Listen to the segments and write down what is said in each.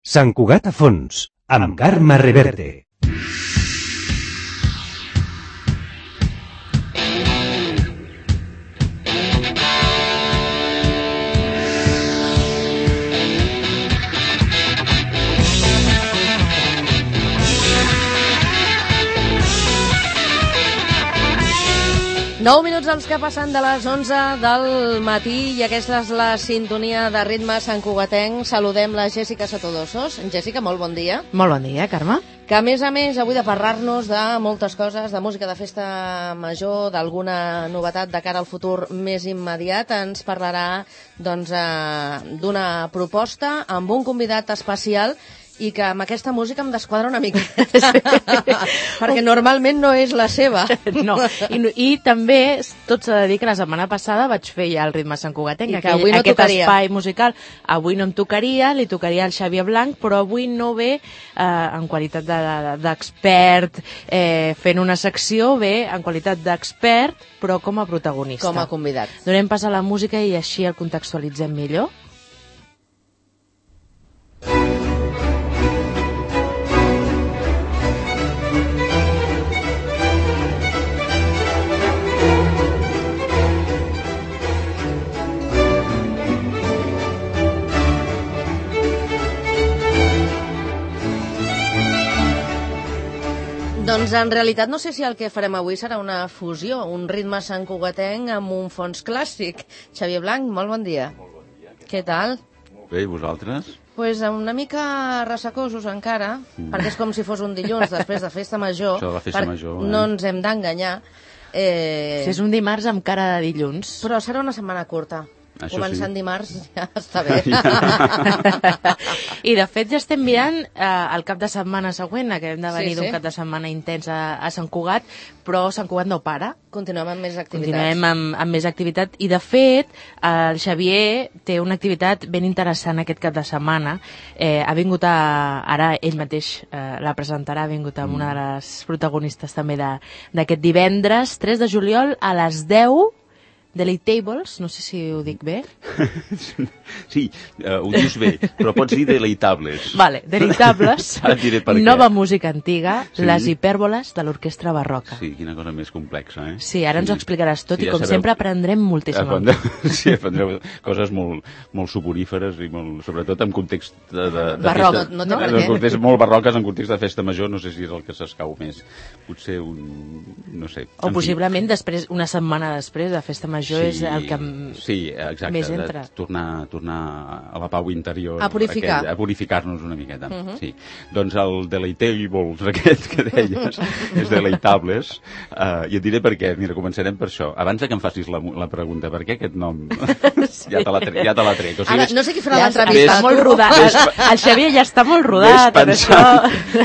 Sant Cugat a fons, amb Carme Reverte. Nou minuts els que passen de les 11 del matí i aquesta és la sintonia de ritme santcugatenc. Saludem la Jèssica Sotodosos. Jèssica, molt bon dia. Molt bon dia, Carme. Que a més, avui de parlar-nos de moltes coses, de música de festa major, d'alguna novetat de cara al futur més immediat, ens parlarà doncs, d'una proposta amb un convidat especial i que amb aquesta música em desquadra una mica. Sí. Perquè normalment no és la seva. No. I també tot s'ha de dir que la setmana passada vaig fer ja el ritme santcugatenc, aquest espai musical. Avui no em tocaria, li tocaria al Xavier Blanc, però avui no ve en qualitat d'expert fent una secció, ve en qualitat d'expert, però com a protagonista. Com a convidat. Donem pas a la música i així el contextualitzem millor. Doncs en realitat no sé si el que farem avui serà una fusió, un ritme santcugatenc amb un fons clàssic. Xavier Blanc, molt bon dia. Molt bon dia. Què tal? Molt bé, i vosaltres? Pues una mica ressacosos encara, perquè és com si fos un dilluns després de festa major. Això de la festa major, no ens hem d'enganyar. Si és un dimarts amb cara de dilluns. Però serà una setmana curta. Això començant sí. Dimarts ja està bé. I de fet ja estem mirant el cap de setmana següent, que hem de venir d'un cap de setmana intens a Sant Cugat, però Sant Cugat no para. Continuem amb més activitats. Continuem amb més activitat i de fet el Xavier té una activitat ben interessant aquest cap de setmana. Ha vingut ara ell mateix la presentarà, ha vingut amb una de les protagonistes també d'aquest divendres 3 de juliol a les 10. Deleitables, no sé si ho dic bé. Sí, ho dius bé, però pots dir deleitables. Vale, deleitables. Ara et diré per què. Nova música antiga, sí. Les hipèrboles de l'orquestra barroca. Sí, quina cosa més complexa, eh? Sí, ara ens ho explicaràs tot i com sempre aprendrem moltíssim. Sí, aprendrem coses molt suporíferes i sobretot en context de barroc, festa, no té per què. En context molt barroques, en context de festa major, no sé si és el que s'escau més. Potser no sé. O possiblement després, una setmana després de festa major és el que exacte, més entra. Tornar a la pau interior. A purificar. A purificar-nos una miqueta. Sí. Doncs el Deleitables aquest que deies és Deleitables i et diré per què. Mira, començarem per això. Abans que em facis la pregunta, per què aquest nom? Sí. Ja te la trec. O sigui, ara, no sé qui farà l'entrevista. Està molt rodat. El Xavier ja està molt rodat.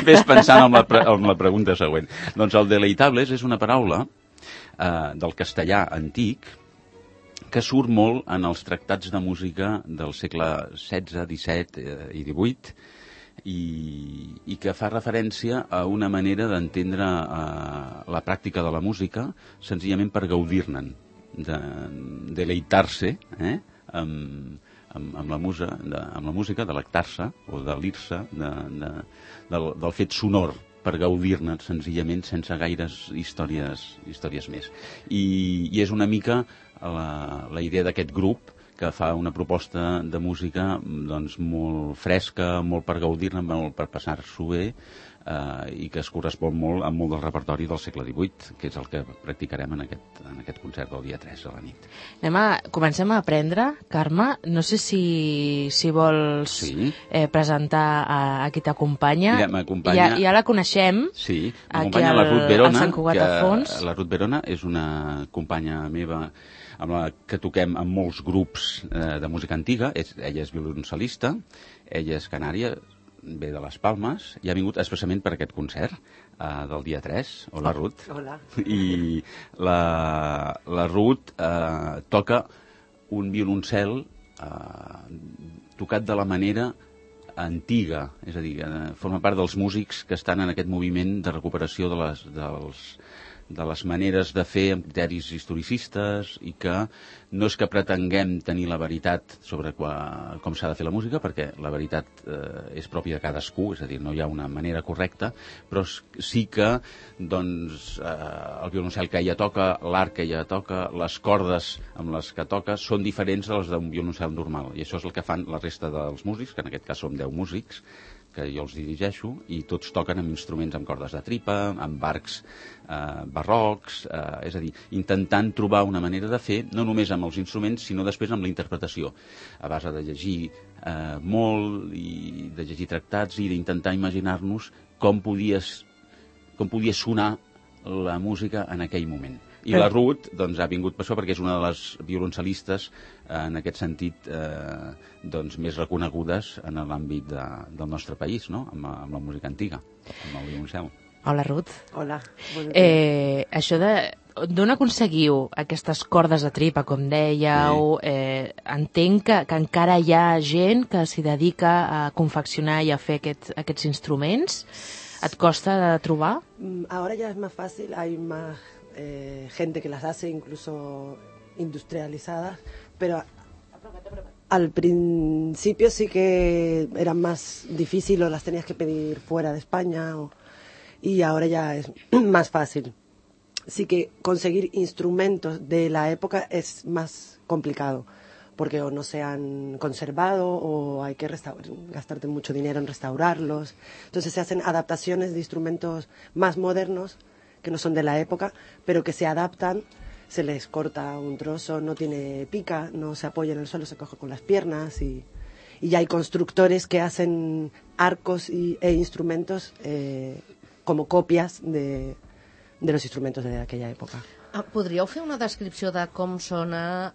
Ves pensant en la pregunta següent. Doncs el Deleitables és una paraula del castellà antic que surt molt en els tractats de música del segle XVI, XVII i XVIII i que fa referència a una manera d'entendre la pràctica de la música senzillament per gaudir-ne'n, de deleitar-se amb la música, delectar-se o delir-se del fet sonor, per gaudir-ne senzillament sense gaires històries més. I és una mica la idea d'aquest grup que fa una proposta de música doncs, molt fresca, molt per gaudir-ne, molt per passar-s'ho bé i que es correspon molt amb molt del repertori del segle XVIII, que és el que practicarem en aquest concert del dia 3 a la nit. Comencem a aprendre, Carme. No sé si vols presentar a qui t'acompanya. Mira, m'acompanya... Ja la coneixem. Sí, m'acompanya la Ruth Verona, que la Ruth Verona és una companya meva amb la que toquem amb molts grups de música antiga. Ella és violoncel·lista, ella és canària, ve de les Palmes i ha vingut expressament per aquest concert del dia 3. Hola, Ruth. Hola. I la Ruth toca un violoncel tocat de la manera antiga, és a dir, forma part dels músics que estan en aquest moviment de recuperació de les maneres de fer amb criteris historicistes i que no és que pretenguem tenir la veritat sobre com s'ha de fer la música, perquè la veritat és pròpia de cadascú, és a dir, no hi ha una manera correcta, però sí que doncs, el violoncel que ella toca, l'art que ella toca, les cordes amb les que toca, són diferents de les d'un violoncel normal, i això és el que fan la resta dels músics, que en aquest cas som 10 músics, que jo els dirigeixo, i tots toquen amb instruments amb cordes de tripa, amb arcs barrocs, és a dir, intentant trobar una manera de fer, no només amb els instruments, sinó després amb la interpretació, a base de llegir molt, i de llegir tractats, i d'intentar imaginar-nos com podia sonar la música en aquell moment. I la Ruth doncs, ha vingut per això, perquè és una de les violoncelistes en aquest sentit doncs, més reconegudes en l'àmbit del nostre país, no? amb la música antiga, amb el violoncel. Hola, Ruth. Hola. Això d'on aconseguiu aquestes cordes de tripa, com dèieu? Entenc que encara hi ha gent que s'hi dedica a confeccionar i a fer aquests instruments. Et costa de trobar? Ahora ya es más fácil, hay más gente que las hace incluso industrializadas, pero al principio sí que era más difícil o las tenías que pedir fuera de España y ahora ya es más fácil. Sí que conseguir instrumentos de la época es más complicado porque o no se han conservado o hay que gastarte mucho dinero en restaurarlos. Entonces se hacen adaptaciones de instrumentos más modernos que no son de la época, pero que se adaptan, se les corta un trozo, no tiene pica, no se apoya en el suelo, se coge con las piernas y ya hay constructores que hacen arcos e instrumentos como copias de los instrumentos de aquella època. Podríeu fer una descripció de com sona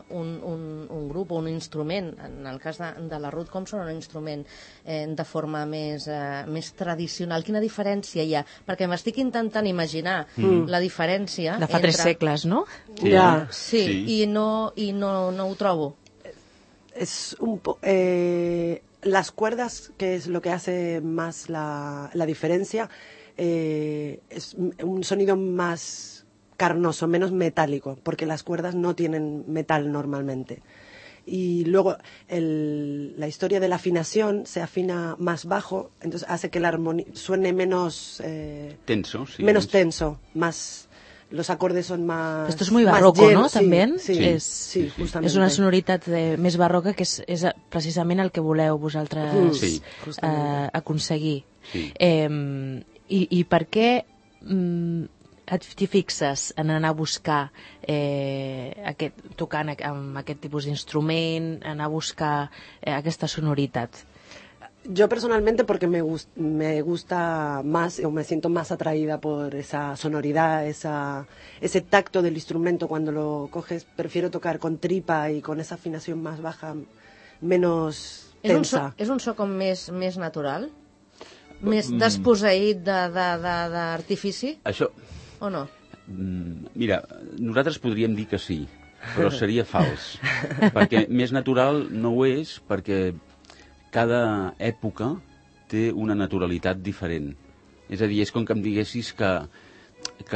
un grup o un instrument, en el cas de la Ruth, com sona un instrument de forma més tradicional? Quina diferència hi ha? Perquè m'estic intentant imaginar la diferència de fa 3 segles, no? Sí, i no ho trobo. Es las cuerdas, que es lo que hace más la diferencia, es un sonido más carnoso, menos metálico, porque las cuerdas no tienen metal normalmente. Y luego la historia de la afinación se afina más bajo, entonces hace que la armonía suene menos tenso, sí, menos tenso, más los acordes son más. Esto es muy barroco, ¿no? Sí, También sí, justamente. És una sonoritat més barroca que és precisament el que voleu vosaltres aconseguir. Sí. I per què t'hi fixes en anar a buscar tocant amb aquest tipus d'instrument, anar a buscar aquesta sonoritat? Yo personalmente porque me gusta más o me siento más atraída por esa sonoridad, ese tacto del instrumento cuando lo coges. Prefiero tocar con tripa y con esa afinación más baja, menos tensa. És un so com més natural? Més desposseït d'artifici? Això... O no? Mira, nosaltres podríem dir que sí, però seria fals. Perquè més natural no ho és, perquè cada època té una naturalitat diferent. És a dir, és com que em diguessis que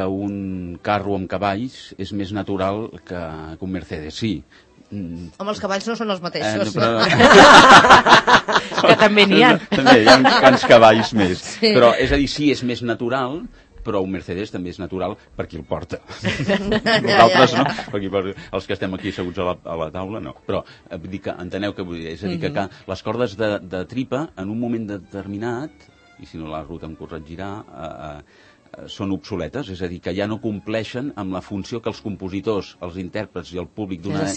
un carro amb cavalls és més natural que un Mercedes, sí. Home, els cavalls no són els mateixos. Que també n'hi ha. També hi ha uns cavalls més. Sí. Però, és a dir, sí, és més natural, però un Mercedes també és natural per qui el porta. Nosaltres no, perquè els que estem aquí asseguts a la taula no. Però dir que, enteneu què vull dir? És a dir, que les cordes de tripa, en un moment determinat, i si no la Ruth em corregirà, són obsoletes, és a dir, que ja no compleixen amb la funció que els compositors, els intèrprets i el públic d'una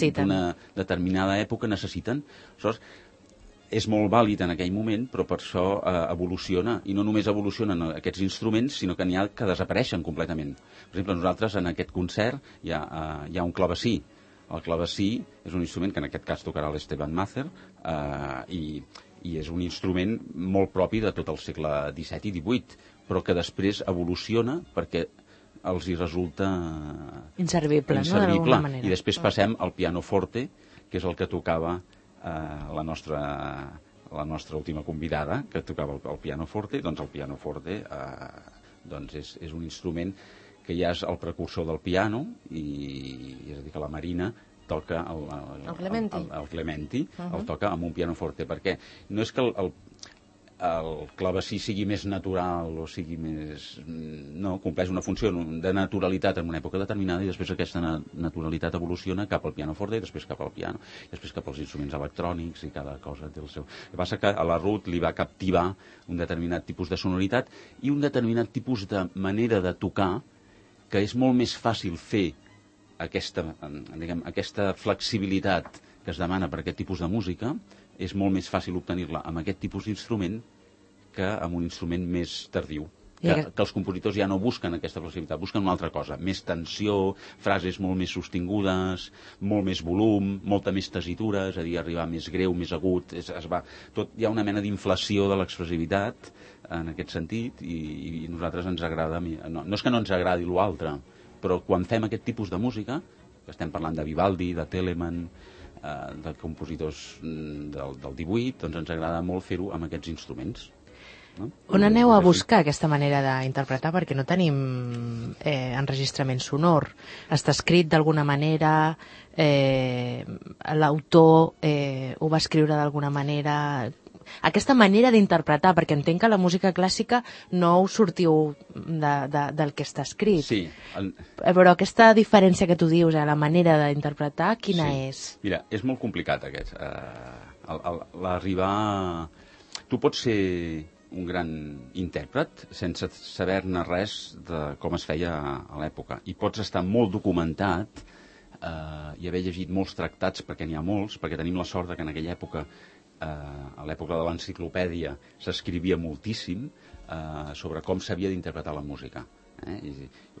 determinada època necessiten. Aleshores, és molt vàlid en aquell moment, però per això evoluciona, i no només evolucionen aquests instruments, sinó que n'hi ha que desapareixen completament. Per exemple, nosaltres en aquest concert hi ha un clavecí. El clavecí és un instrument que en aquest cas tocarà l'Esteban Mazer, i és un instrument molt propi de tot el segle XVII i XVIII, però que després evoluciona perquè els hi resulta inservible, no? D'alguna manera. I després passem al pianoforte, que és el que tocava la nostra última convidada, que tocava el pianoforte. Doncs el pianoforte és un instrument que ja és el precursor del piano, i és a dir, que la Marina toca el Clementi, el toca amb un pianoforte, perquè no és que el clavecí sigui més natural o sigui més... No, compleix una funció de naturalitat en una època determinada i després aquesta naturalitat evoluciona cap al pianoforte i després cap al piano, i després cap als instruments electrònics i cada cosa té el seu... El que passa que a la Ruth li va captivar un determinat tipus de sonoritat i un determinat tipus de manera de tocar que és molt més fàcil fer aquesta flexibilitat que es demana per aquest tipus de música, és molt més fàcil obtenir-la amb aquest tipus d'instrument que amb un instrument més tardiu. Que els compositors ja no busquen aquesta flexibilitat, busquen una altra cosa, més tensió, frases molt més sostingudes, molt més volum, molta més tessitura, és a dir, arribar més greu, més agut, hi ha una mena d'inflació de l'expressivitat en aquest sentit, i a nosaltres ens agrada, no és que no ens agradi l'altre, però quan fem aquest tipus de música, que estem parlant de Vivaldi, de Telemann, de compositors del 18, doncs ens agrada molt fer-ho amb aquests instruments. No? On aneu a buscar aquesta manera d'interpretar? Perquè no tenim enregistrament sonor. Està escrit d'alguna manera, l'autor ho va escriure d'alguna manera... Aquesta manera d'interpretar, perquè entenc que la música clàssica no us sortiu del que està escrit. Sí. Però aquesta diferència que tu dius, la manera d'interpretar, quina és? Mira, és molt complicat aquest. L'arribar... Tu pots ser un gran intèrpret sense saber-ne res de com es feia a l'època. I pots estar molt documentat i haver llegit molts tractats, perquè n'hi ha molts, perquè tenim la sort que en aquella època, a l'època de l'enciclopèdia, s'escrivia moltíssim sobre com s'havia d'interpretar la música.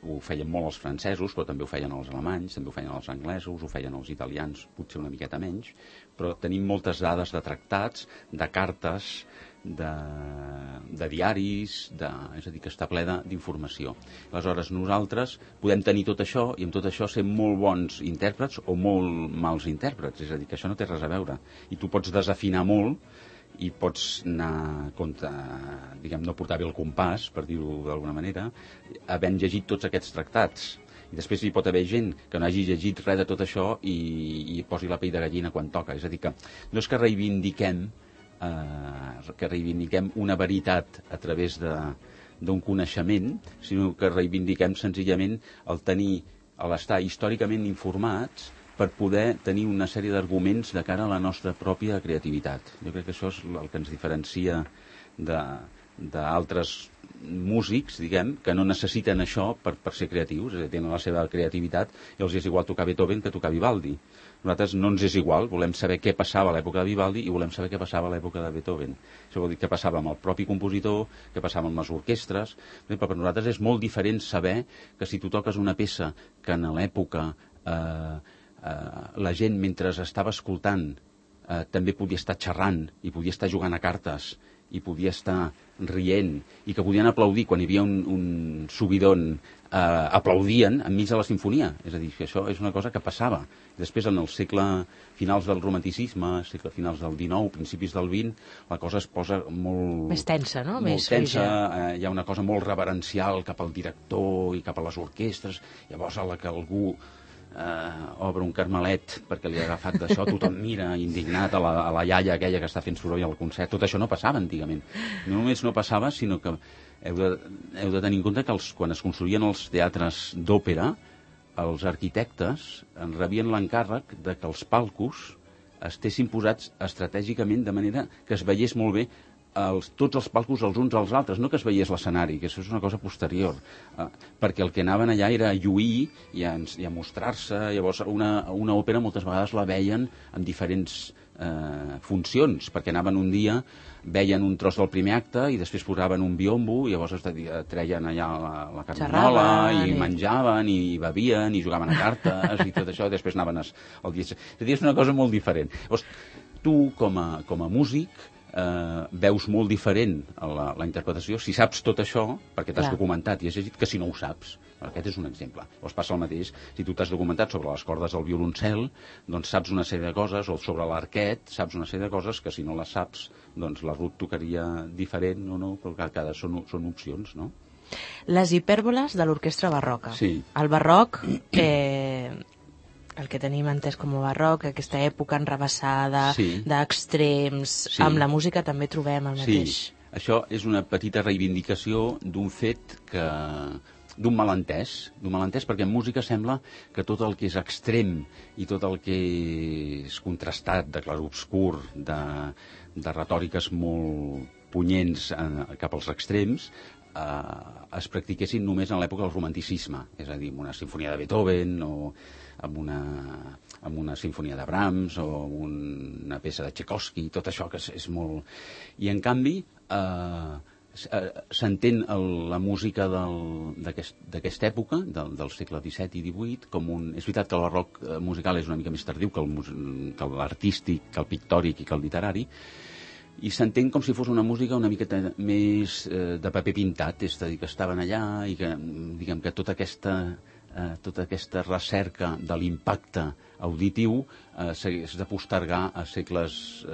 Ho feien molt els francesos, però també ho feien els alemanys, també ho feien els anglesos, ho feien els italians, potser una miqueta menys, però tenim moltes dades de tractats, de cartes, de diaris, és a dir, que està ple d'informació. Aleshores, nosaltres podem tenir tot això i amb tot això ser molt bons intèrprets o molt mals intèrprets, és a dir, que això no té res a veure. I tu pots desafinar molt i pots anar contra, diguem, no portar bé el compàs, per dir-ho d'alguna manera, havent llegit tots aquests tractats. I després hi pot haver gent que no hagi llegit res de tot això i posi la pell de gallina quan toca. És a dir, que no és que reivindiquem una veritat a través d'un coneixement, sinó que reivindiquem senzillament l'estar històricament informats per poder tenir una sèrie d'arguments de cara a la nostra pròpia creativitat. Jo crec que això és el que ens diferencia d'altres músics, diguem, que no necessiten això per ser creatius, és a dir, tenen la seva creativitat i els és igual tocar Beethoven que tocar Vivaldi. Nosaltres no ens és igual, volem saber què passava a l'època de Vivaldi i volem saber què passava a l'època de Beethoven. Això vol dir què passava amb el propi compositor, què passava amb les orquestres. Però per nosaltres és molt diferent saber que si tu toques una peça que en l'època la gent, mentre estava escoltant, també podia estar xerrant i podia estar jugant a cartes i podia estar rient i que podien aplaudir quan hi havia un subidon, aplaudien enmig de la sinfonia. És a dir, que això és una cosa que passava. Després, en el segle finals del romanticisme, segle finals del XIX, principis del XX, la cosa es posa molt... Més tensa, no? Molt tensa, hi ha una cosa molt reverencial cap al director i cap a les orquestres. Llavors, a la que algú obre un carmelet perquè li ha agafat d'això, tothom mira indignat a la iaia aquella que està fent soroll al concert. Tot això no passava antigament. No només no passava, sinó que heu de tenir en compte que quan es construïen els teatres d'òpera, els arquitectes en rebien l'encàrrec de que els palcos estessin posats estratègicament de manera que es veiés molt bé tots els palcos els uns als altres, no que es veiés l'escenari, que això és una cosa posterior, perquè el que anaven allà era a lluir i a mostrar-se. Llavors una òpera moltes vegades la veien en diferents funcions, perquè anaven un dia, veien un tros del primer acte i després posaven un biombo i llavors treien allà la carniola i menjaven i bevien i jugaven a cartes i tot això, i després anaven al dia. És a dir, és una cosa molt diferent. Llavors, tu com a músic veus molt diferent la interpretació si saps tot això, perquè t'has documentat i has llegit, que si no ho saps. Aquest és un exemple. Llavors passa el mateix si tu t'has documentat sobre les cordes del violoncel, doncs saps una sèrie de coses, o sobre l'arquet saps una sèrie de coses que si no les saps, doncs la Ruth tocaria diferent o no, però cada són opcions, no? Les hipèrboles de l'orquestra barroca. Sí. El barroc, el que tenim entès com a barroc, aquesta època enrabassada, d'extrems, amb la música també trobem el mateix. Sí, això és una petita reivindicació d'un fet d'un malentès perquè en música sembla que tot el que és extrem i tot el que és contrastat, de clarobscur, de retòriques molt punyents cap als extrems, es practiquessin només en l'època del romanticisme, és a dir, amb una sinfonia de Beethoven o amb una sinfonia de Brahms o una peça de Tchaikovsky, tot això que és molt... I en canvi s'entén la música d'aquesta època, del segle XVII i XVIII, com un... És veritat que el barroc musical és una mica més tardiu que l'artístic, que el pictòric i que el literari, i s'entén com si fos una música una miqueta més de paper pintat, és a dir, que estaven allà i que, diguem que tota aquesta recerca de l'impacte auditiu s'hagués de postergar a segles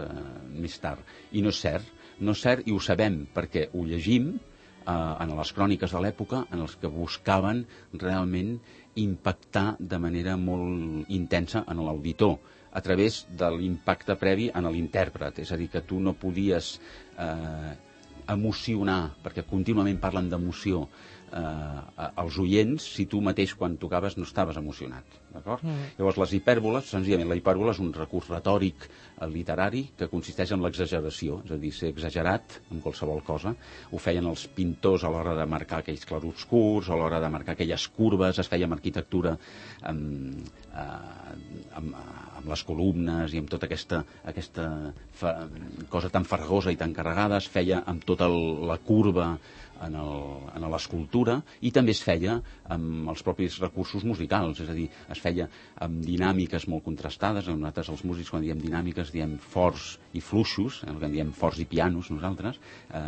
més tard. I no és cert, i ho sabem perquè ho llegim en les cròniques de l'època en els que buscaven realment impactar de manera molt intensa en l'auditor, a través de l'impacte previ en l'intèrpret. És a dir, que tu no podies emocionar, perquè contínuament parlen d'emoció, als oients si tu mateix quan tocaves no estaves emocionat, d'acord? Llavors les hipèrboles, senzillament la hipèrbola és un recurs retòric literari que consisteix en l'exageració, és a dir, ser exagerat en qualsevol cosa. Ho feien els pintors a l'hora de marcar aquells clarobscurs, a l'hora de marcar aquelles curves, es feia amb arquitectura amb les columnes i amb tota aquesta cosa tan farragosa i tan carregada, es feia amb tota la curva en l'escultura, i també es feia amb els propis recursos musicals, és a dir, es feia amb dinàmiques molt contrastades. Nosaltres els músics quan diem dinàmiques diem forts i fluixos, el que en diem forts i pianos nosaltres,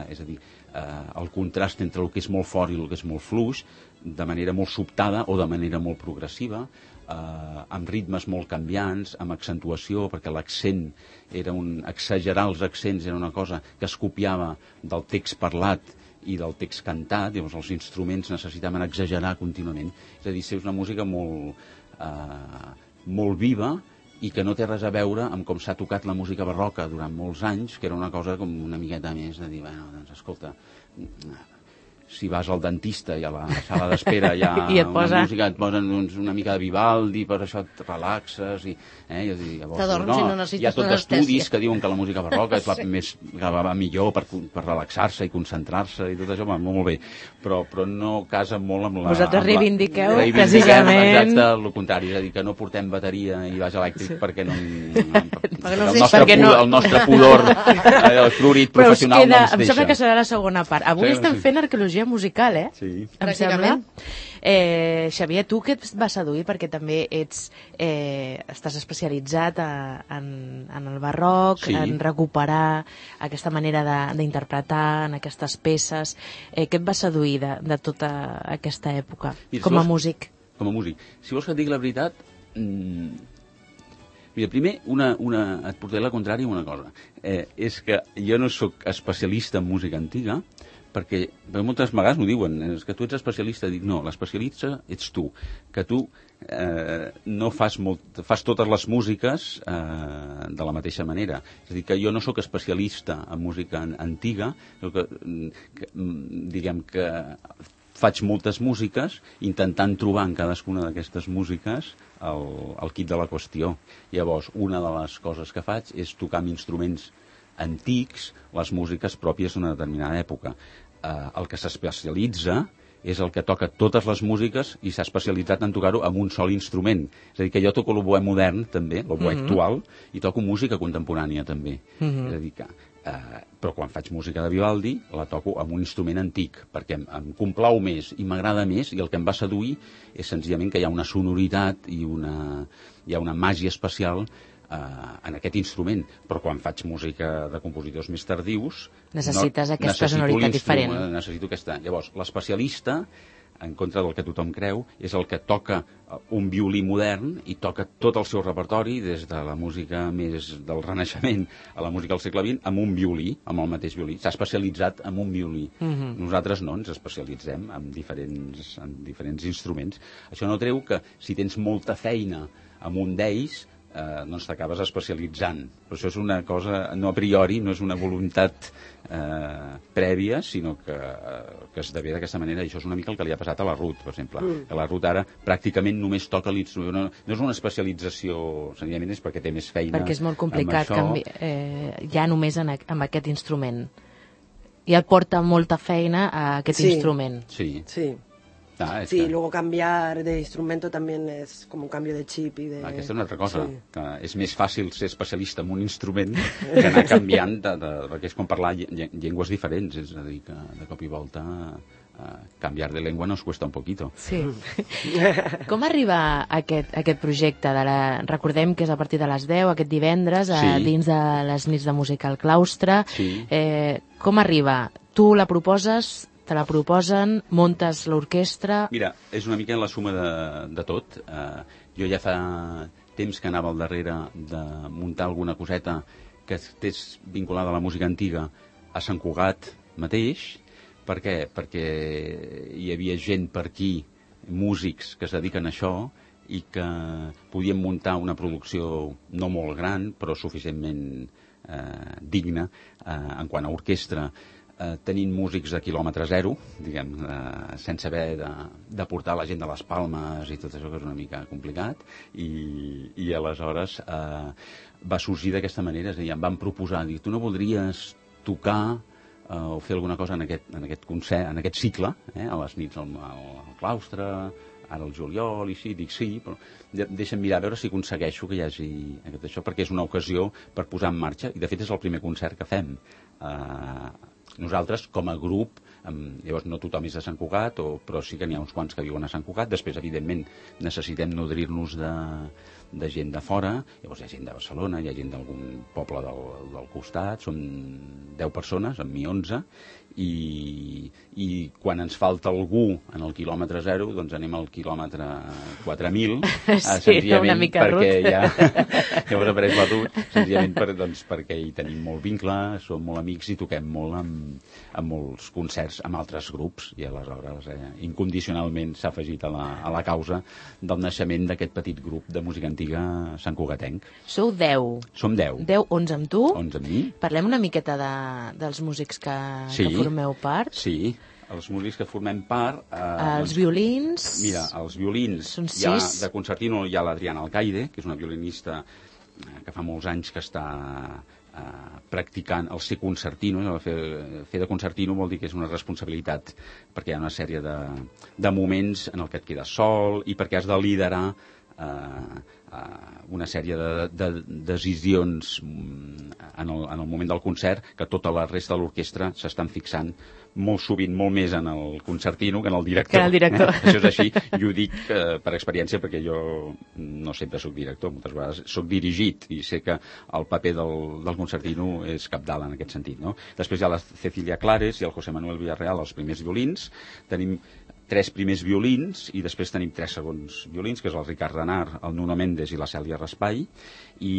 és a dir, el contrast entre el que és molt fort i el que és molt fluix, de manera molt sobtada o de manera molt progressiva, amb ritmes molt canviants, amb accentuació, perquè l'accent era exagerar els accents era una cosa que es copiava del text parlat i del text cantat, llavors els instruments necessitaven exagerar contínuament. És a dir, és una música molt viva i que no té res a veure amb com s'ha tocat la música barroca durant molts anys, que era una cosa com una miqueta més de dir, bueno, doncs escolta, si vas al dentista i a la sala d'espera hi ha una música, et posen una mica de Vivaldi, per això et relaxes i llavors t'adorms i no necessites hi ha tot estudis que diuen que la música barroca és la més que va millor per relaxar-se i concentrar-se i tot això, va molt bé, però no casa molt amb la... Vosaltres reivindiqueu precisament exacte el contrari, és a dir, que no portem bateria i baix elèctric perquè no el nostre pudor el florit professional no ens deixa. Em sembla que serà la segona part. Avui estem fent arqueologia musical, Sí. Em sembla. Xavier, tu què et va seduir? Perquè també estàs especialitzat en el barroc, en recuperar aquesta manera d'interpretar en aquestes peces. Què et va seduir de tota aquesta època, com a músic? Com a músic. Si vols que et digui la veritat, mira, primer, et portaré la contrària una cosa. És que jo no sóc especialista en música antiga, perquè moltes vegades m'ho diuen, és que tu ets especialista. Dic, no, l'especialista ets tu, que tu no fas totes les músiques de la mateixa manera. És a dir, que jo no sóc especialista en música antiga, diguem que faig moltes músiques intentant trobar en cadascuna d'aquestes músiques el quid de la qüestió. Llavors, una de les coses que faig és tocar amb instruments antics les músiques pròpies d'una determinada època. El que s'especialitza és el que toca totes les músiques i s'ha especialitzat en tocar-ho amb un sol instrument. És a dir, que jo toco l'oboè modern també, l'oboè actual, i toco música contemporània també. És a dir que, però quan faig música de Vivaldi la toco amb un instrument antic perquè em complau més i m'agrada més, i el que em va seduir és senzillament que hi ha una sonoritat i hi ha una màgia especial en aquest instrument, però quan faig música de compositors més tardius necessites aquesta sonoritat diferent. Necessito aquesta. Llavors, l'especialista en contra del que tothom creu, és el que toca un violí modern i toca tot el seu repertori, des de la música més del Renaixement a la música del segle XX, amb un violí, amb el mateix violí. S'ha especialitzat en un violí. Nosaltres no, ens especialitzem en diferents instruments. Això no treu que si tens molta feina amb un d'ells, doncs t'acabes especialitzant. Però això és una cosa, no a priori, no és una voluntat prèvia, sinó que esdevé d'aquesta manera. I això és una mica el que li ha passat a la Ruth, per exemple. Que la Ruth ara pràcticament només toca l'instrument. No és una especialització, senzillament és perquè té més feina. Perquè és molt complicat ja només amb aquest instrument. I et porta molta feina a aquest instrument. Sí. Sí, luego cambiar de instrumento también es como un cambio de chip y de... Aquesta és una altra cosa, que és més fàcil ser especialista en un instrument que anar canviant, perquè és com parlar llengües diferents, és a dir, que de cop i volta canviar de llengua nos cuesta un poquito. Sí. Com arriba aquest projecte? Recordem que és a partir de les 10, aquest divendres, dins de les nits de música al claustre. Com arriba? Tu la proposes, te la proposen, muntes l'orquestra... Mira, és una mica la suma de tot. Jo ja fa temps que anava al darrere de muntar alguna coseta que estés vinculada a la música antiga a Sant Cugat mateix. Per què? Perquè hi havia gent per aquí, músics que es dediquen a això, i que podien muntar una producció no molt gran, però suficientment digna en quant a orquestra, tenint músics de quilòmetre zero, diguem, sense haver de portar la gent de les Palmes i tot això, que és una mica complicat, i aleshores va sorgir d'aquesta manera. És a dir, em van proposar, dir, tu no voldries tocar o fer alguna cosa en aquest concert, en aquest cicle, a les nits al claustre, ara al juliol, i sí, dic sí, però deixa'm mirar a veure si aconsegueixo que hi hagi això, perquè és una ocasió per posar en marxa, i de fet és el primer concert que fem. Nosaltres, com a grup, llavors no tothom és de Sant Cugat, però sí que n'hi ha uns quants que viuen a Sant Cugat. Després, evidentment, necessitem nodrir-nos de gent de fora. Llavors hi ha gent de Barcelona, hi ha gent d'algun poble del costat. Som 10 persones, amb mi 11, i quan ens falta algú en el quilòmetre zero, doncs anem al quilòmetre 4.000, senzillament perquè llavors apareix la Ruth, senzillament perquè hi tenim molt vincle, som molt amics i toquem molt amb molts concerts amb altres grups, i aleshores incondicionalment s'ha afegit a la causa del naixement d'aquest petit grup de música antiga santcugatenc. Sou 10. Som 10. 10, 11 amb tu. 11 amb mi. Parlem una miqueta dels músics que formeu part. Sí, els músics que formem part... Els violins... Mira, els violins, de concertino hi ha l'Adriana Alcaide, que és una violinista que fa molts anys que està practicant el ser concertino. Fer de concertino vol dir que és una responsabilitat, perquè hi ha una sèrie de moments en el que et quedes sol i perquè has de liderar una sèrie de decisions en el moment del concert que tota la resta de l'orquestra s'estan fixant molt sovint, molt més en el concertino que en el director. Això és així, i ho dic per experiència, perquè jo no sempre soc director, moltes vegades soc dirigit, i sé que el paper del concertino és cabdal en aquest sentit, no? Després hi ha la Cecilia Clares i el José Manuel Villarreal, els primers violins. Tenim 3 primers violins i després tenim 3 segons violins, que és el Ricard Renard, el Nuno Méndez i la Cèlia Raspai, i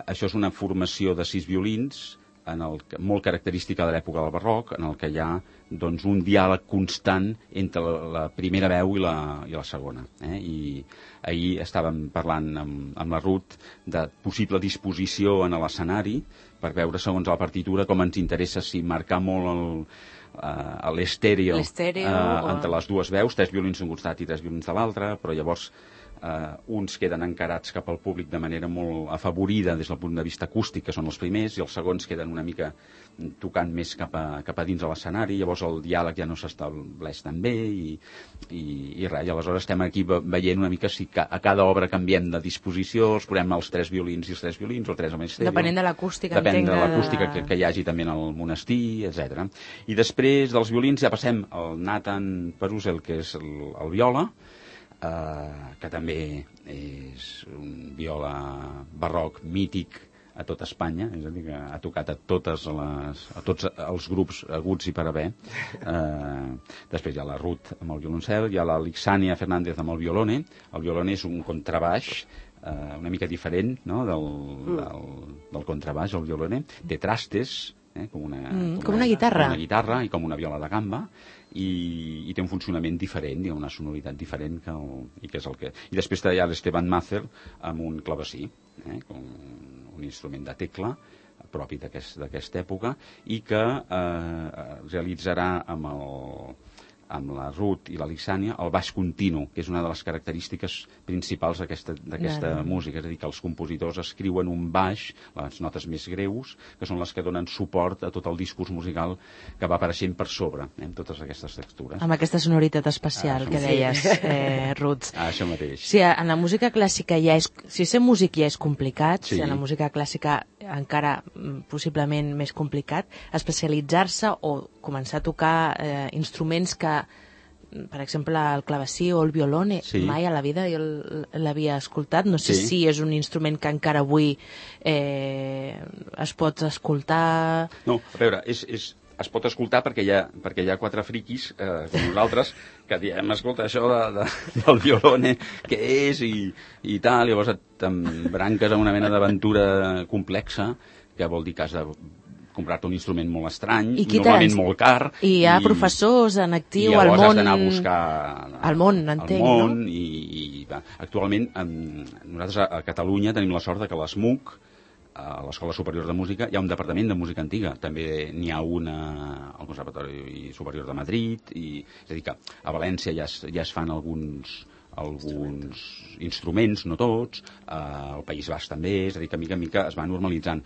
això és una formació de 6 violins molt característica de l'època del barroc, en el que hi ha un diàleg constant entre la primera veu i la segona. I ahir estàvem parlant amb la Ruth de possible disposició en l'escenari per veure, segons la partitura, com ens interessa, si marcar molt l'estèreo entre les dues veus, 3 violins d'un costat i 3 violins de l'altre, però llavors uns queden encarats cap al públic de manera molt afavorida des del punt de vista acústic, que són els primers, i els segons queden una mica tocant més cap a dins de l'escenari. Llavors el diàleg ja no s'estableix tan bé i res, i aleshores estem aquí veient una mica si a cada obra canviem de disposició, els posem els 3 violins i els 3 violins, o 3 amb estèreo. Depenent de l'acústica. Depèn de l'acústica que hi hagi també en el monestir, etc. I després dels violins ja passem al Nathan Perusel, que és el viola, que també és un viola barroc mític a tot Espanya, és a dir, que ha tocat a tots els grups aguts i per haver. Després hi ha la Ruth amb el violoncel, hi ha la Lixània Fernández amb el violone. El violone és un contrabaix una mica diferent, no?, del contrabaix, el violone. Té trastes, com una guitarra. Com una guitarra i com una viola de gamba, i té un funcionament diferent, i una sonoritat diferent i després hi ha l'Esteban Mazer amb un clavecí, un instrument de tecla propi d'aquesta època, i que realitzarà amb la Ruth i la Lixània el baix continu, que és una de les característiques principals d'aquesta música, és a dir, que els compositors escriuen un baix, les notes més greus, que són les que donen suport a tot el discurs musical que va apareixent per sobre, amb totes aquestes textures. Amb aquesta sonoritat especial que deies, Ruth. Això mateix. Sí, en la música clàssica si ser músic ja és complicat, si en la música clàssica encara possiblement més complicat, especialitzar-se o començar a tocar instruments que, per exemple, el clavecí o el violone, mai a la vida jo l'havia escoltat. No sé si és un instrument que encara avui es pot escoltar. No, a veure, es pot escoltar perquè hi ha 4 friquis com nosaltres que diem, escolta, això del violone, què és i tal, llavors t'embranques a una mena d'aventura complexa, que vol dir que has de comprar-te un instrument molt estrany, normalment molt car. I hi ha professors en actiu al món. I llavors has d'anar a buscar al món, entenc, no? I actualment nosaltres a Catalunya tenim la sort que a l'ESMUC, a l'Escola Superior de Música, hi ha un departament de música antiga. També n'hi ha una al Conservatori Superior de Madrid, és a dir que a València ja es fan alguns instruments, no tots, al País Basc també, és a dir, que mica en mica es va normalitzant.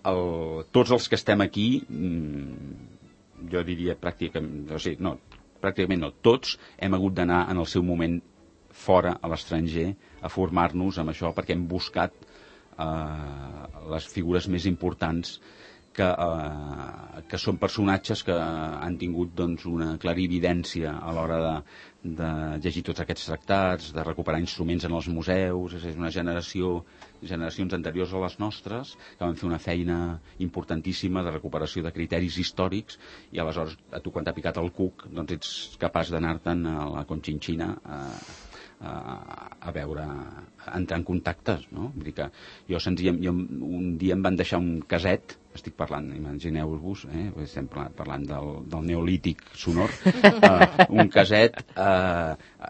Tots els que estem aquí, jo diria pràcticament no, tots hem hagut d'anar en el seu moment fora, a l'estranger, a formar-nos amb això, perquè hem buscat les figures més importants que són personatges que han tingut una clarividència a l'hora de llegir tots aquests tractats, de recuperar instruments en els museus. És una generacions anteriors a les nostres que van fer una feina importantíssima de recuperació de criteris històrics, i aleshores a tu quan t'ha picat el cuc doncs ets capaç d'anar-te'n a la Conchinchina a veure, a entrar en contactes, no? Vull dir que un dia em van deixar un caset, estic parlant, imagineu-vos, estem parlant del neolític sonor, un caset,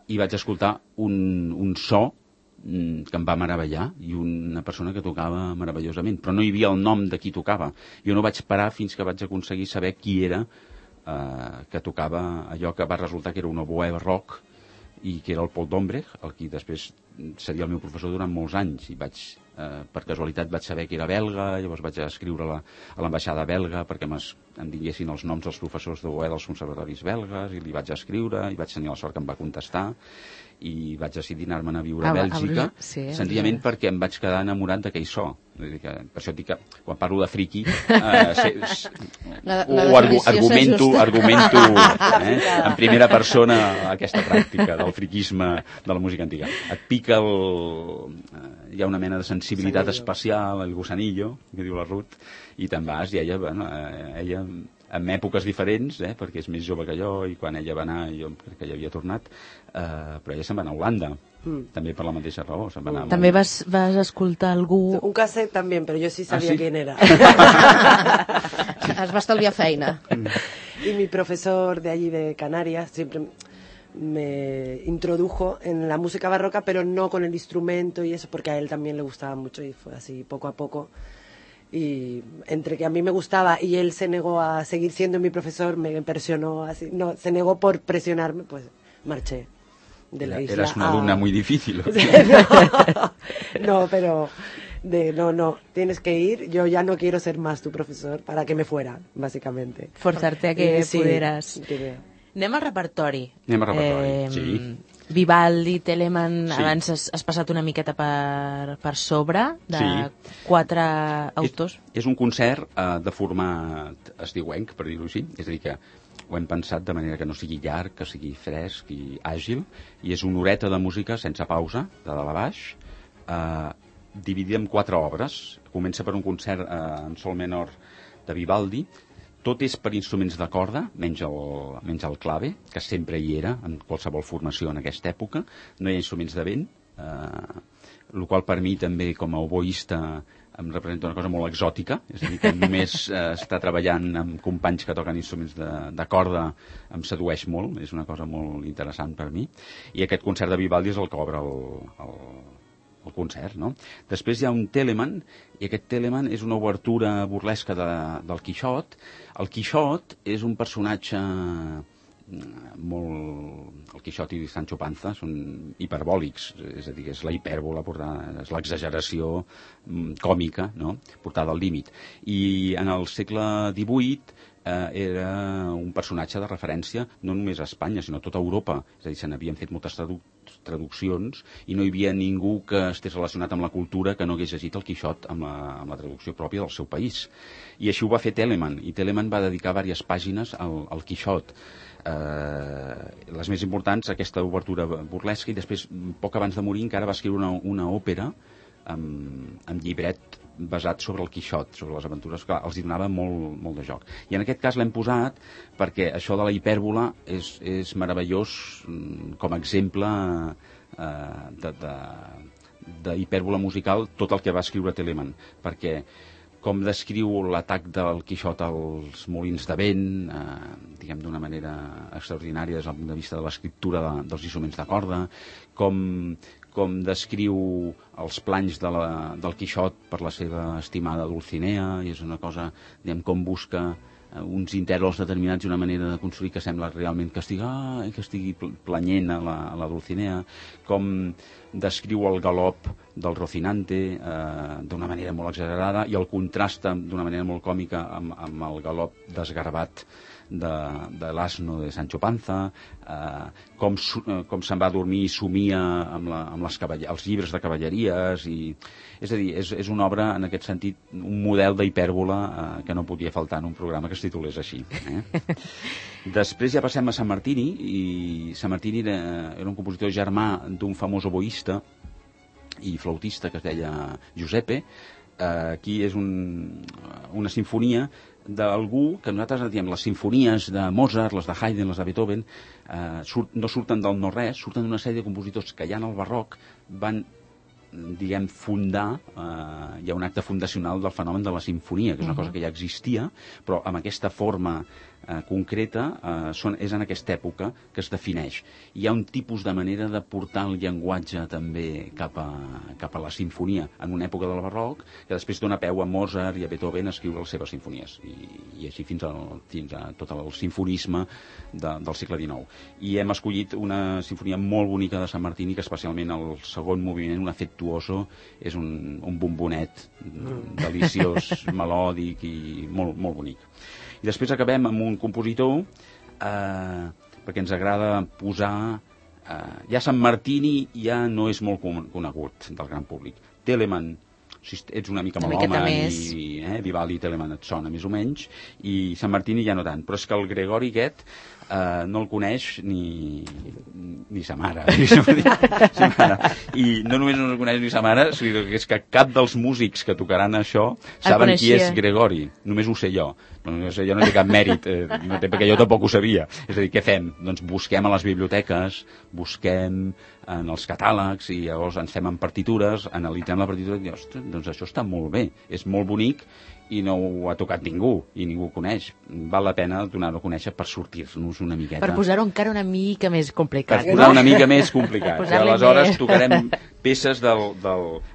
i vaig escoltar un so que em va meravellar, i una persona que tocava meravellosament, però no hi havia el nom de qui tocava. Jo no vaig parar fins que vaig aconseguir saber qui era que tocava allò que va resultar que era un oboè rock, i que era el Paul Dombrecht, el qui després seria el meu professor durant molts anys, i per casualitat vaig saber que era belga. Llavors vaig escriure a l'ambaixada belga perquè em diguessin els noms dels professors d'oboè dels conservatoris belgues, i li vaig escriure, i vaig tenir la sort que em va contestar, i vaig decidir anar-me'n a viure a Bèlgica, senzillament perquè em vaig quedar enamorat d'aquell so. Per això dic que quan parlo de friqui argumento en primera persona aquesta pràctica del friquisme de la música antiga. Et pica hi ha una mena de sensibilitat especial, el gusanillo, que diu la Ruth, i te'n vas, i ella en èpoques diferents, perquè és més jove que jo, i quan ella va anar jo crec que ja havia tornat, però ella se'n va anar a Holanda, també per la mateixa raó. També vas escoltar algú... Un cassette també, però jo sí sabia quién era. Es va estalviar feina. Y mi profesor de allí de Canarias siempre me introdujo en la música barroca, pero no con el instrumento y eso, porque a él también le gustaba mucho, y fue así poco a poco. Y entre que a mí me gustaba y él se negó a seguir siendo mi profesor, me presionó así, no, se negó por presionarme, pues marché de la isla. Eras una alumna muy difícil. No, pero no, tienes que ir, yo ya no quiero ser más tu profesor, para que me fuera, básicamente. Forzarte a que pudieras. Anem al repertori. Sí. Vivaldi, Telemann, abans has passat una miqueta per sobre de 4 autors. És un concert de format estiuenc, per dir-ho així, és a dir que ho hem pensat de manera que no sigui llarg, que sigui fresc i àgil, i és una horeta de música sense pausa, de dalt a baix, dividida en 4 obres. Comença per un concert en sol menor de Vivaldi. Tot és per instruments de corda, menys el clave, que sempre hi era en qualsevol formació en aquesta època. No hi ha instruments de vent, el qual per mi també com a oboista em representa una cosa molt exòtica, és a dir, que només estar treballant amb companys que toquen instruments de corda em sedueix molt, és una cosa molt interessant per mi. I aquest concert de Vivaldi és el que obre el concert, no? Després hi ha un Telemann, i aquest Telemann és una obertura burlesca del Quixot. El Quixot és un personatge molt... El Quixot i Sancho Panza són hiperbòlics, és a dir, és la hipèrbola, és l'exageració còmica, no? Portada al límit. I en el segle XVIII era un personatge de referència no només a Espanya, sinó a tota Europa. És a dir, se n'havien fet moltes traduccions i no hi havia ningú que estés relacionat amb la cultura que no hagués llegit el Quixot amb la traducció pròpia del seu país. I així ho va fer Telemann, i Telemann va dedicar diverses pàgines al Quixot. Les més importants, aquesta obertura burlesca, i després, poc abans de morir, encara va escriure una òpera amb llibret basat sobre el Quixot, sobre les aventures, que els donava molt de joc. I en aquest cas l'hem posat perquè això de la hipèrbola és meravellós com a exemple d'hipèrbola musical, tot el que va escriure Telemann, perquè com descriu l'atac del Quixot als molins de vent, diguem d'una manera extraordinària des del punt de vista de l'escriptura dels instruments de corda, com descriu els planys del Quixot per la seva estimada Dulcinea, i és una cosa, diguem, com busca uns intervals determinats i una manera de construir que sembla realment que estigui planyent a la Dulcinea, com descriu el galop del Rocinante d'una manera molt exagerada i el contrasta d'una manera molt còmica amb el galop desgarbat de l'asno de Sancho Panza, com se'n va dormir i somia amb els llibres de cavalleries, és a dir, és una obra en aquest sentit, un model d'hipèrbola que no podia faltar en un programa que es titulés així. Després ja passem a Sammartini, i Sammartini era un compositor germà d'un famós oboista i flautista que es deia Giuseppe. Aquí és una sinfonia d'algú que nosaltres diem les sinfonies de Mozart, les de Haydn, les de Beethoven, no surten del no-res, surten d'una sèrie de compositors que ja en el barroc van, diguem, fundar, hi ha un acte fundacional del fenomen de la sinfonia, que és una cosa que ja existia, però amb aquesta forma concreta és en aquesta època que es defineix. Hi ha un tipus de manera de portar el llenguatge també cap a la sinfonia en una època del barroc que després dona peu a Mozart i a Beethoven a escriure les seves sinfonies i així fins a tot el sinfonisme del segle XIX. I hem escollit una sinfonia molt bonica de Sammartini, que especialment el segon moviment, un affettuoso, és un bombonet deliciós, melòdic i molt, molt bonic. I després acabem amb un compositor perquè ens agrada posar... ja Sammartini ja no és molt conegut del gran públic. Telemann, si ets una mica malhome, i Vivaldi i Telemann et sona més o menys, i Sammartini ja no tant. Però és que el Gregori aquest no el coneix ni sa mare. I no només no el coneix ni sa mare, sinó que és que cap dels músics que tocaran això saben qui és Gregori. Només ho sé jo. Jo no té cap mèrit, no té, perquè jo tampoc ho sabia. És a dir, què fem? Doncs busquem a les biblioteques, busquem en els catàlegs, i llavors ens fem en partitures, analitzem la partitura i dius, doncs això està molt bé, és molt bonic, i no ho ha tocat ningú, i ningú ho coneix. Val la pena donar-ho a conèixer per sortir-nos una miqueta. Per posar-ho encara una mica més complicat. Per posar una mica més complicat. I aleshores tocarem peces del...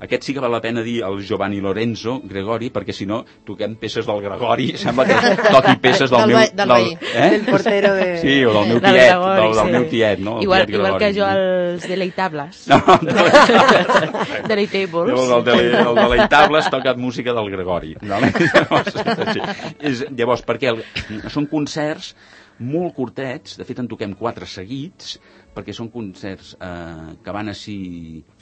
Aquest sí que val la pena dir el Giovanni Lorenzo Gregori, perquè si no toquem peces del Gregori, sembla que toqui peces del meu... Del portero de... Sí, o del meu tiet, del meu tiet, no? Igual que jo els Deleitables. No, Deleitables. El Deleitables toca música del Gregori. Llavors, perquè són concerts molt curtets, de fet en toquem 4 seguits, perquè són concerts que van així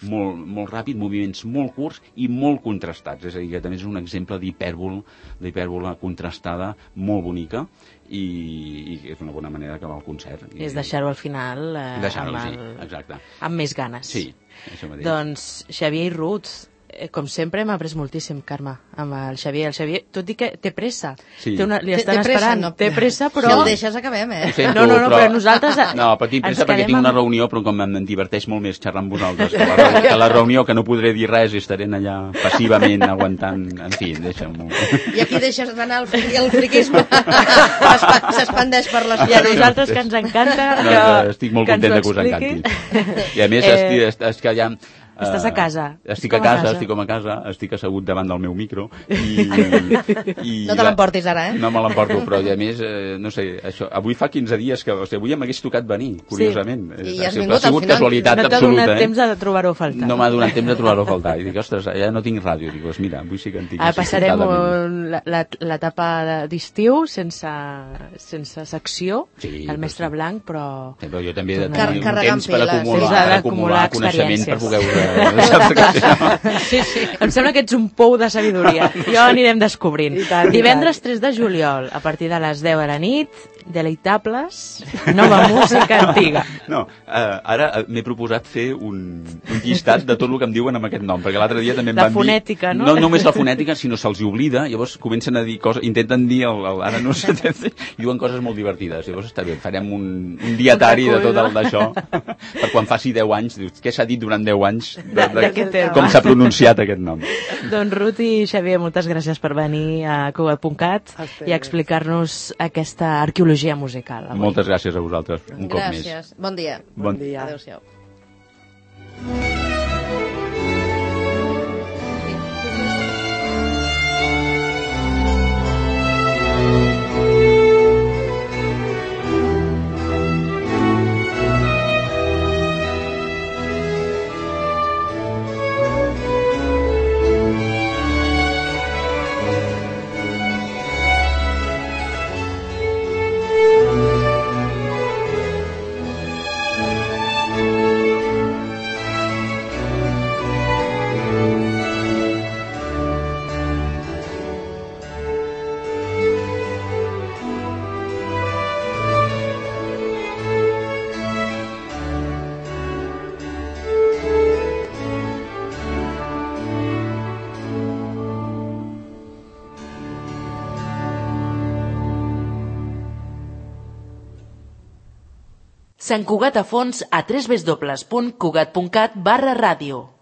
molt ràpid, moviments molt curts i molt contrastats, és a dir, que també és un exemple d'hipèrbola contrastada molt bonica, i és una bona manera d'acabar el concert. És deixar-ho al final deixar-ho, sí, exacte, amb més ganes. Sí, això mateix. Doncs Xavier Ruth, Com sempre, hem après moltíssim, Carme, amb el Xavier. El Xavier, tot i que té pressa. Sí. Li estan esperant. Té pressa, però... Si el deixes, acabem, Ho sento, No, però nosaltres... No, però tinc pressa perquè tinc una reunió, però com em diverteix molt més xerrar amb vosaltres que la reunió, que no podré dir res i estaré allà passivament aguantant... En fi, deixa'm-ho. I aquí deixes d'anar el friquisme. S'expandeix per les... I a nosaltres, que ens encanta... Estic molt content que us encanti. I a més, és que ja... Estàs a casa. Estic a casa, estic com a casa, estic assegut davant del meu micro i no te l'emportis ara, No me l'emporto, però a més, no sé, això, avui fa 15 dies que, o sigui, avui m'hagués tocat venir, curiosament. Sí. I has vingut, ha sigut casualitat no absoluta. No t'ha donat temps de trobar-ho a faltar. No m'ha donat temps de trobar-ho a faltar. I dic, ostres, ja no tinc ràdio. Dic, doncs mira, avui sí que en tinc. Passarem l'etapa d'estiu sense secció, el mestre Blanc, però... Però jo també he de tenir un temps per acumular coneixement per poder Sí. Em sembla que ets un pou de sabidoria. Jo anirem descobrint. Divendres 3 de juliol, a partir de les 10 de la nit, Deleitables, nova música antiga. No, ara m'he proposat fer un llistat de tot el que em diuen amb aquest nom, perquè l'altre dia també em van dir... La fonètica, no? No només la fonètica, sinó se'ls oblida, llavors comencen a dir coses, intenten dir, ara no sé, i diuen coses molt divertides. Llavors està bé, farem un dietari de tot d'això, per quan faci 10 anys, dius, què s'ha dit durant 10 anys, com s'ha pronunciat aquest nom. Doncs Ruth i Xavier, moltes gràcies per venir a Cugat.cat i a explicar-nos aquesta arqueologia musical. Avui. Moltes gràcies a vosaltres, un cop més. Gràcies. Bon dia. Bon dia. Adéu-siau. Sant Cugat a fons a www.cugat.cat/ràdio.